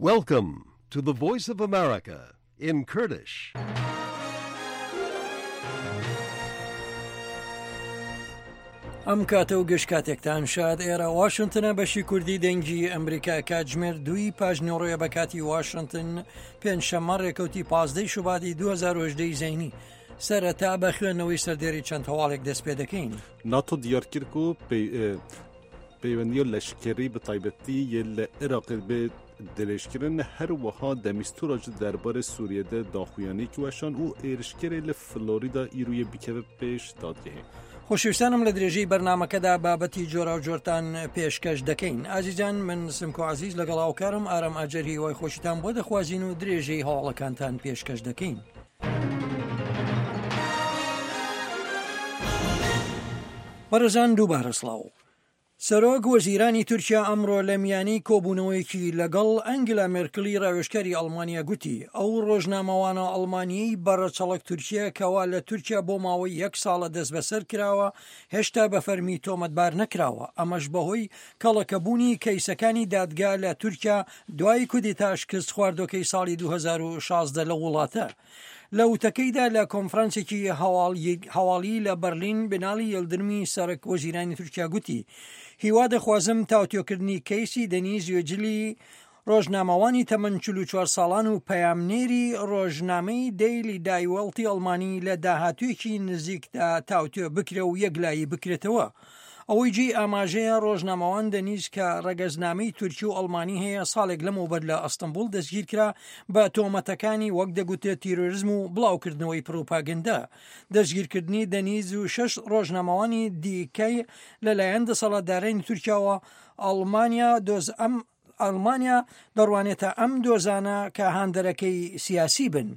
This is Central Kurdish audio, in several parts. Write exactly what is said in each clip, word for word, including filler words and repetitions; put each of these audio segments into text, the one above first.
Welcome to the Voice of America in Kurdish. ئەم کاتە و گشت کاتێکتان شاد. ئێرە واشنگتنە، بەشی کوردی دەنگی ئەمریکا. کاتژمێر دووی پاش نیوەڕۆیە بە کاتی واشنگتن، پێنجشەممە ڕێکەوتی پازدەی شوباتی دوو هەزار و هەژدە زەینی. سەرەتا بە خوێندنەوەی سەردێری چەند هەواڵێک دەست پێ دەکەین. ناتۆ دیار کرد ku peywendiya leşkerî bi taybetî yê li Iraqê bê dirêjkirin. Her wiha de Mîstûra ji derbarê Sûriye de daxuyaniyek weşand û êrişkerê li Florida îroyê bikeve pêş dadgehê. خۆشەویستانم، لە درێژەی بەرنامەکەدا بابەتی جۆراوجۆرتان پێشکەش دەکەین. ئازیزان، من سمکۆ عزیز لەگەڵ هاوکارم ئارام ئاجەر هیوای خۆشیتان بۆ دەخوازین و درێژەی هەواڵەکانتان پێشکەش دەکەین. بەڕێزان، دووبارە سڵاو. سەرۆک وەزیرانی تورکیا ئەمڕۆ لە میانی کۆبوونەوەیەکی لەگەڵ ئەنگلا مێرکلی ڕاوێژکاری ئەڵمانیا گوتی ئەو ڕۆژنامەوانە ئەڵمانیەی بەڕەچەڵک تورکیا کەوا لە تورکیا بۆ ماوەی یەک ساڵە دەستبەسەر کراوە، هێشتا بە فەرمی تۆمەتبار نەکراوە، ئەمەش بەهۆی کەڵەکەبوونی کەیسەکانی دادگا لە تورکیا دوای کودێتا شکست خواردوەکەی ساڵی دوو هەزار و شازدە لە وڵاتە. لە وتەکەیدا لە کۆنفرانسێکی هەواڵی لە بەرلین، بنالی یڵدرمی سەرۆک وەزیرانی تورکیا گوتی هیوا دەخوازم تاوتوێکردنی کەیسی دەنیز یوجلی، ڕۆژنامەوانی تەمەن چل و چوار ساڵان و پەیامنێری ڕۆژنامەی دەیلی دایوەڵتی ئەڵمانی، لە داهاتوویەکی نزیکدا تاوتوێ بکرێ و یەکلایی بکرێتەوە. ئەوەی جێی ئاماژەیە، ڕۆژنامەوان دەنیز کە ڕەگەزنامەی تورکی و ئەڵمانی هەیە، ساڵێک لەمەوبەر لە ئەستەنبوڵ دەستگیر کرا بە تۆمەتەکانی وەک دەگوترێت تیرۆریزم و بڵاوکردنەوەی پروپاگەندە. دەستگیرکردنی دەنیز و شەش ڕۆژنامەوانی دیکەی لەلایەن دەسەڵاتدارانی تورکیاوە، ئەڵمانیا دۆز ئەم ئەڵمانیا دەڕوانێتە ئەم دۆزانە کە هاندەرەکەی سیاسی بن.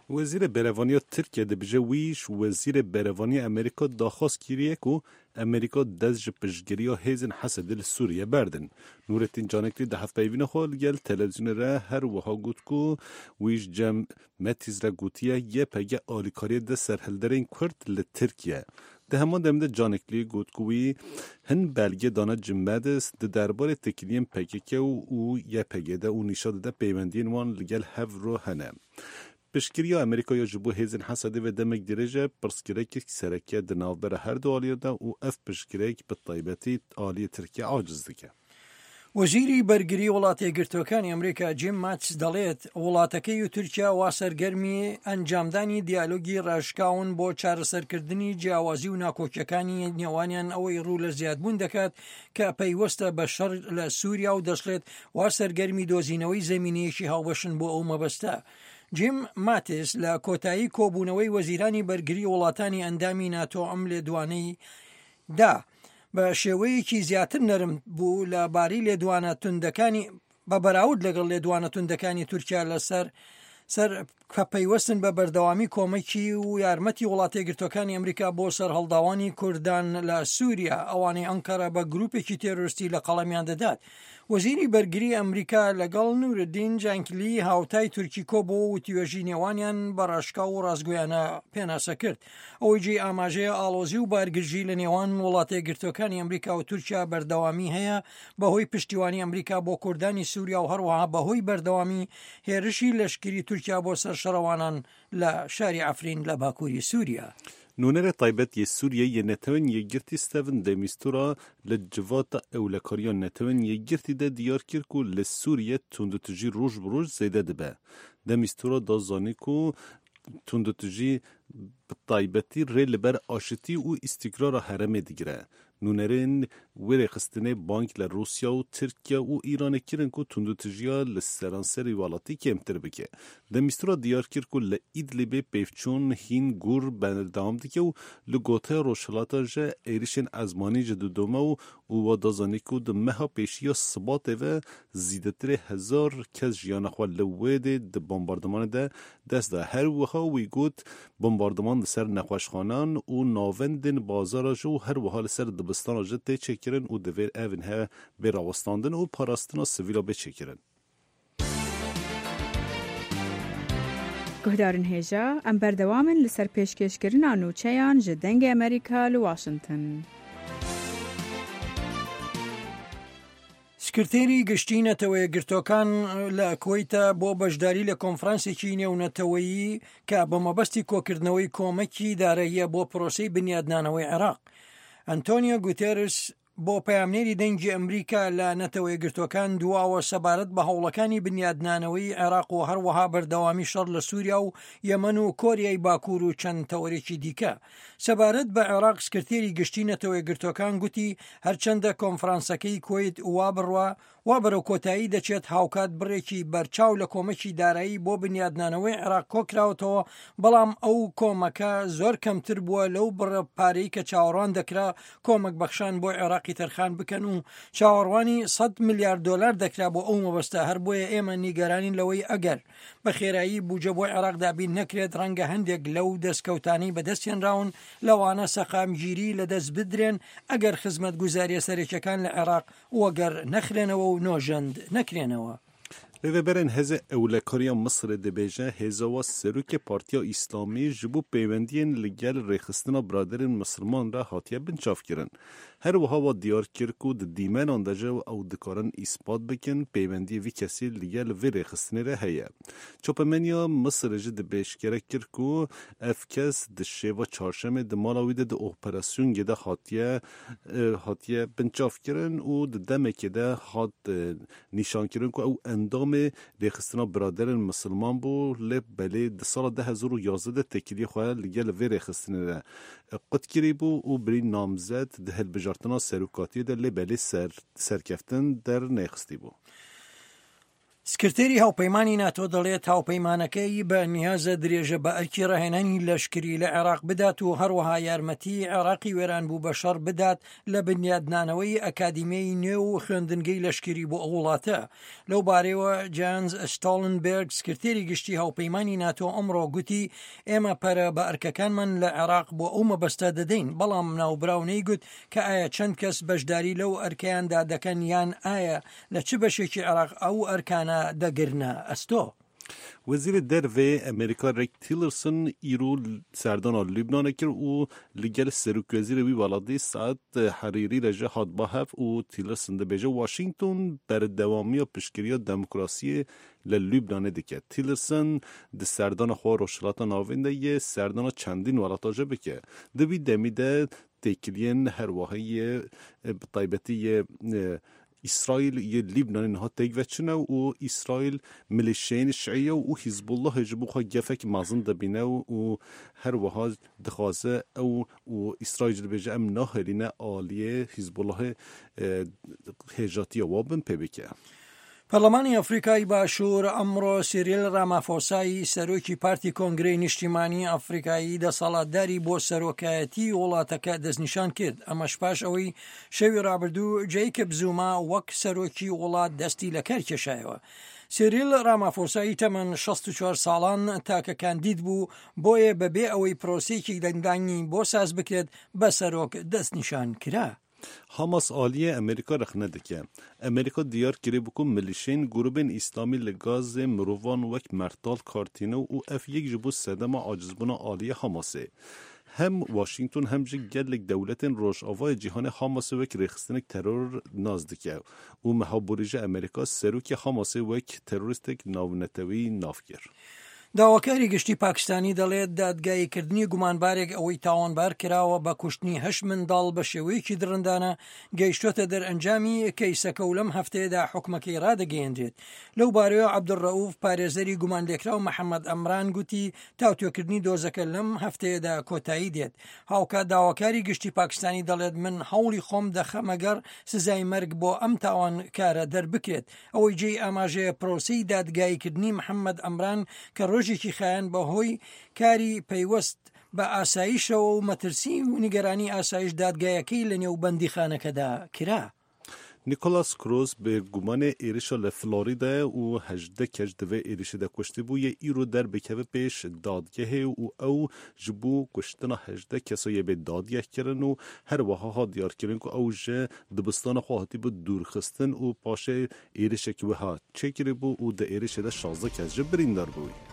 Wezîrê Berevaniya Tirkiye dibêje wî ji Wezîrê Berevaniya Amerîka daxwaz kiriye ku Amerîka dest ji piştgiriya hêzên Hesedê li Sûriye berdin. Nûrettin Caneklî di hevpeyvîna xwe li gel televîzyonê re her wiha got ku wî ji cem Mattis re gotiye Y P G alîkariyê dide serhilderên Kurd li Tirkiye. Di heman demê de Caneklî got ku wî hin belge dane Jim Mattis di derbarê têkiliyên P K K û Y P G de û nîşan dide peywendiyên wan li gel hev re hene. Piştgiriya Amerîka ya ji bo hêzên Hesedê ve demek dirêj e pirsgirêkek sereke di navbera her du aliyan de û ev pirsgirêk bi taybetî aliyê Tirkiye aciz dike. وەزیری بەرگری وڵاتە یەکگرتووەکانی ئەمریکا جیم ماتس دەڵێت وڵاتەکەی و تورکیا وا سەرگەرمی ئەنجامدانی دیالۆگی ڕاشکاون بۆ چارەسەرکردنی جیاوازی و ناکۆکیەکانی نێوانیان، ئەوەی ڕوو لە زیادبوون دەکات کە پەیوەستە بە شەڕ لە سووریا، و دەشڵێت وا سەرگەرمی دۆزینەوەی زەمینەیەکی هاوبەشن بۆ ئەو مەبەستە. جیم ماتس لە کۆتایی کۆبوونەوەی وەزیرانی بەرگری وڵاتانی ئەندامی ناتۆ ئەم لێدوانەی دا. بە شێوەیەکی زیاتر نەرم بوو لە باری لێدوانە توندەکانی بە بەراورد لەگەڵ لێدوانە توندەکانی تورکیا لەسەر سەر کە پەیوەستن بە بەردەوامی کۆمەکی و یارمەتی وڵاتە یەکگرتووەکانی ئەمریکا بۆ سەرهەڵداوانی کوردان لە سووریا، ئەوانەی ئەنکەرە بە گروپێکی تێرۆریستی لە قەڵەمیان دەدات. وەزیری بەرگری ئەمریکا لەگەڵ نوورەدین جانکلی هاوتای تورکی کۆبۆ و وتوێژی نێوانیان بە ڕاشکاو و ڕاستگۆیانە پێناسە کرد. ئەوەی جێی ئاماژەیە، ئاڵۆزی و بارگرژی لە نێوان وڵاتە یەکگرتووەکانی ئەمریکا و تورکیا بەردەوامی هەیە بەهۆی پشتیوانی ئەمریکا بۆ کوردانی سووریا و هەروەها بەهۆی بەردەوامی هێرشی لەشکری تورکیا بۆ سەر شەڕەوانان لە شاری عەفرین لە باکووری سووریا. Nûnerê taybet yê Sûriyê yê Netewên Yekgirtî Staffan de Mistura li civata ewlekariya Netewên Yekgirtî de diyar kir ku li Sûriye tundûtûjî roj bi roj zêde dibe. De Mistura da zanîn ku tundûtûjî bi taybetî rê li ber aşitî û îstîkrara herêmê digire. Nûnerên wê rêxistinê bang li Rûsya û Tirkiye û Îranê kirin ku tundûtûjiya li seranserî welatî kêmtir bike. De Mistura diyar kir ku li Idlibê pêvçûn hîn gur berdewam dike û li Goteya Rojhilata ji êrişên ezmanî ji didome û û wa da zanîn ku di meha pêşiya Sibatê ve zêdetirê hezar kes jiyana xwe li wê dê di bombardımanê de dest da. Her wiha wî got bombardıman li ser nexweşxanan û navendên bazara ji û her wiha li ser dibistana ji tê çêkirin û divê ev he bê rawestandin û parastina sivîla bê çêkirin. Guhdarên hêja, em berdewamin li ser pêşkêşkirina nûçeyan ji Dengê Amerîka li Washington. سکرتێری گشتی نەتەوە یەکگرتووەکان لە کوەیتە بۆ بەشداری لە کۆنفرانسێکی نێونەتەوەیی کە بە مەبەستی کۆکردنەوەی کۆمەکی داراییە بۆ پرۆسەی بنیادنانەوەی عێراق. ئەنتۆنیۆ گوتێرس بۆ پەیامنێری دەنگی ئەمریکا لە نەتەوە یەکگرتووەکان دواوە سەبارەت بە هەوڵەکانی بنیادنانەوەی عێراق و هەروەها بەردەوامی شەڕ لە سووریا و یەمەن و کۆریای باکوور و چەند تەوەرێکی دیکە. سەبارەت بە عێراق سکرتێری گشتی نەتەوە یەکگرتووەکان گوتی هەرچەندە کۆنفرانسەکەی کوەیت وا بڕوا وا بەرەو کۆتایی دەچێت، هاوکات بڕێکی بەرچاو لە کۆمەکی دارایی بۆ بنیادنانەوەی عێراق کۆکراوەتەوە، بەڵام ئەو کۆمەکە زۆر کەمتر بووە لەو بڕە پارەی کە چاوەڕوان دەکرا کۆمەک بەخشان بۆ عێراقی تەرخان بکەن و چاوەڕوانی سەد ملیار دۆلار دەکرا بۆ ئەو مەبەستە. هەر بۆیە ئێمە نیگەرانین لەوەی ئەگەر بە خێرایی بودجە بۆ عێراق دابین نەکرێت، ڕەنگە هەندێک لەو دەستکەوتانەی بەدەستهێنراون لەوانە سەقامگیری لەدەست بدرێن ئەگەر خزمەتگوزارییە سەرەکیەکان لە عێراق وەگەر نەخرێنەوە و نۆژەند نەکرێنەوە. Rêveberên Hêzê Ewlekariya Misirê dibêje hêza wa Serokê Partiya Îslamî ji bo pêwendiyên li gel rêxistina Biraderên Misilman re hatiye binçavkirin. Her wiha wa diyar kir ku di dîmenan de jî ew dikarin îspat bikin pêwendiyê vî kesî li gel vê rêxistinê re heye. Çapemeniya Misirê jî dibêjkere kir ku ev kes di şeva çarşemê di mala wî de di operasyongê de hatiye hatiye binçavkirin û di demekê de hat nîşankirin ku ew endamê rêxistina Biraderên Misilman bû, lê belê di sala du hezar û yazdeh de têkiliyê xwe li gel vê rêxistinê re qut kirîbû û birî namzed di hilbijartina serokatiyê de lê belê ser serkeftin dernexistîbû. سکرتێری هاوپەیمانی ناتۆ دەڵێت هاوپەیمانەکەی بە نیازە درێژە بە ئەرکی ڕاهێنانی لەشکری لە عێراق بدات و هەروەها یارمەتی عێراقی وێران بوو بە شەڕ بدات لە بنیادنانەوەی ئەکادیمیای نوێ و خوێندنگەی لەشکری بۆ ئەو وڵاتە. لەو بارەیەوە جانز ستۆڵنبێرگ سکرتێری گشتی هاوپەیمانی ناتۆ ئەمڕۆ گوتی ئێمە پەرە بە ئەرکەکانمان لە عێراق بۆ ئەو مەبەستە دەدەین، بەڵام ناوبراو نەیگوت کە ئایا چەند کەس بەشداری لەو ئەرکەیاندا دەکەن یان ئایا لە چ بەشێکی عێراق ئەو ئەرکانە دەگرنە ئەستۆ. وەزیرê Derve Amerîka Rex Tillerson îro serdana Lubnanê kir û li gel serokwezîrê wî welatî Saad Herîrî re jî hat ba hev û Tillerson dibêje Washington berdewamiya piştgiriya demokrasiyê li Lubnanê dike. Tillerson di serdana xwe Rojhilata Navîn de yê serdana çendîn welata jî bike. Di vî demî de têkiliyên herwiha yê bi taybetî yê İsrail yê Libnanê niha têk veçine û İsrail milîşeyên Şiiye û Hizbullahê ji bo xwe gefek mezin dibîne û her wiha dixwaze ew û İsrail jî dibêje em nahêlîne aliyê Hizbullahê hêjatiya wan bin pê bike. پەرلەمانی ئەفریکای باشوور ئەمڕۆ سیریل ڕامافۆسای سەرۆکی پارتی کۆنگرەی نیشتیمانی ئەفریکایی دەسەڵاتداری بۆ سەرۆکایەتی وڵاتەکە دەستنیشان کرد. ئەمەش پاش ئەوەی شەوی ڕابردوو جەیکب زوما وەک سەرۆکی وڵات دەستی لە کار کێشایەوە. سیریل ڕامافۆسای تەمەن شەست و چوار ساڵان تاکە کاندید بوو، بۆیە بەبێ ئەوەی پرۆسەیەکی دەنگدانی بۆ ساز بکرێت بە سەرۆک دەستنیشان کرا. Hamas aliyê Amerîka rexne dike. Amerîka diyar kiribû ku milîşeyên grûpên Îslamî li Gazê mirovan wek mertal kartîne û ev yek ji bo sedema acizbûna aliyê Hamasê. Hem Washington hem jî gelek dewletên Rojavayê cîhanê Hamasê wek rêxistinek teror nas dike û meha borî ji Amerîka serokê Hamasê wek terorîstek navnetewî nav kir. داواکاری گشتی پاکستانی دەڵێت دادگاییکردنی گومانبارێک ئەوەی تاوانبار کراوە بە کوشتنی هەشت منداڵ بە شێوەیەکی دڕندانە گەیشتۆتە دەرئەنجامی کەیسەکە و لەم هەفتەیەدا حکومەکەی ڕادەگەیەندرێت. لەو بارەیەوە عەبدولڕەئوف پارێزەری گومانلێکراو محەممەد ئەمران گوتی تاوتوێکردنی دۆزەکە لەم هەفتەیەدا کۆتایی دێت. هاوکات داواکاری گشتی پاکستانی دەڵێت من هەوڵی خۆم دەخەمەگەڕ سزای مەرگ بۆ ئەم تاوانکارە دەربکرێت. ئەوەی جێی ئاماژەیە پرۆسەی دادگاییکردنی محەممەد ئەمران کە ڕۆژێکی خایەن بەهۆی کاری پەیوەست بە ئاسایشەوە و مەترسی و نیگەرانی ئاسایش دادگایەکەی لە نێو بەندیخانەکەدا کرا. نیکۆلاس کروز به گومانê êrişa li Floridayê û hejdeh kes di vê êrişê de kuştibû yê îro derbikeve pêş dadgehê û ew ji bo kuştina hejdeh kesa yê bê dadgeh kirin û her wiha hat diyarkirin ku ew ji dibistana xwe hatibû dûrxistin û paşê êrişek wiha çêkiribû û di êrişê de şazdeh kes ji birîndar bû.